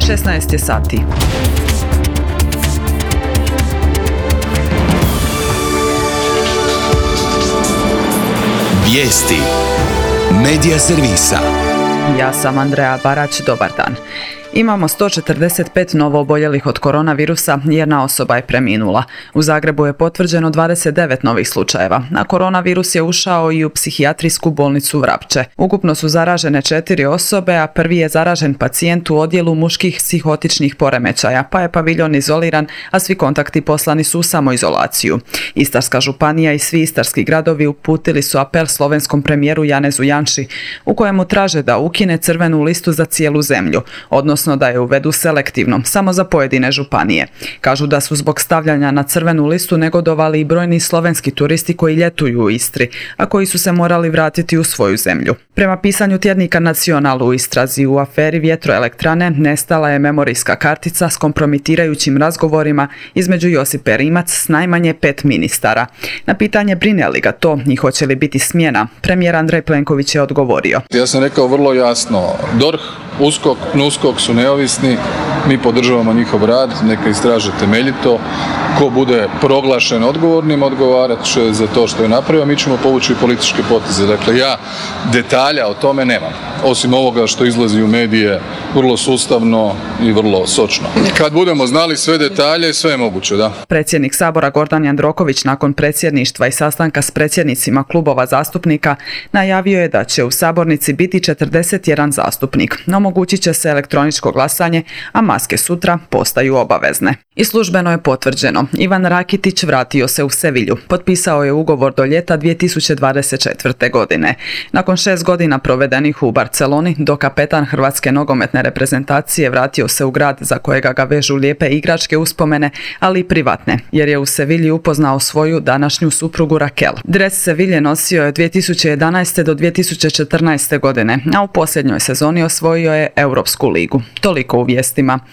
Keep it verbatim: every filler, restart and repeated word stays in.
šesnaest je sati. Vijesti Medija servisa. Ja sam Andreja Barać, dobar dan. Imamo sto četrdeset pet novooboljelih od koronavirusa, jedna osoba je preminula. U Zagrebu je potvrđeno dvadeset devet novih slučajeva, a koronavirus je ušao i u psihijatrijsku bolnicu Vrapče. Ukupno su zaražene četiri osobe, a prvi je zaražen pacijent u odjelu muških psihotičnih poremećaja, pa je paviljon izoliran, a svi kontakti poslani su u samoizolaciju. Istarska županija i svi istarski gradovi uputili su apel slovenskom premijeru Janezu Janši, u kojemu traže da ukine crvenu listu za cijelu zemlju, odnosno odnosno da je uvedu selektivno, samo za pojedine županije. Kažu da su zbog stavljanja na crvenu listu negodovali i brojni slovenski turisti koji ljetuju u Istri, a koji su se morali vratiti u svoju zemlju. Prema pisanju tjednika Nacional u istrazi u aferi vjetroelektrane nestala je memorijska kartica s kompromitirajućim razgovorima između Josipe Rimac s najmanje pet ministara. Na pitanje brine li ga to i hoće li biti smjena, premijer Andrej Plenković je odgovorio. Ja sam rekao vrlo jasno, D O R H, USKOK, PNUSKOK su neovisni, mi podržavamo njihov rad, neka istraže temeljito. Ko bude proglašen odgovornim, odgovarat će za to što je napravio, mi ćemo povući političke poteze. Dakle, ja detalja o tome nemam, osim ovoga što izlazi u medije vrlo sustavno i vrlo sočno. Kad budemo znali sve detalje, sve je moguće, da. Predsjednik Sabora Gordan Jandroković nakon predsjedništva i sastanka s predsjednicima klubova zastupnika najavio je da će u sabornici biti četrdeset jedan zastupnik. Omogućit će se elektroničko glasanje, a maske sutra postaju obavezne. I službeno je potvrđeno. Ivan Rakitić vratio se u Sevilju. Potpisao je ugovor do ljeta dvije tisuće dvadeset četvrte. godine. Nakon šest godina provedenih u Barceloni, dokapetan hrvatske nogometne reprezentacije vratio se u grad za kojega ga vežu lijepe igračke uspomene, ali i privatne, jer je u Sevilji upoznao svoju današnju suprugu Raquel. Dres Sevilje nosio je dvije tisuće jedanaeste do dvije tisuće četrnaeste. godine, a u posljednjoj sezoni osvojio je Europsku ligu. Toliko u vijestima.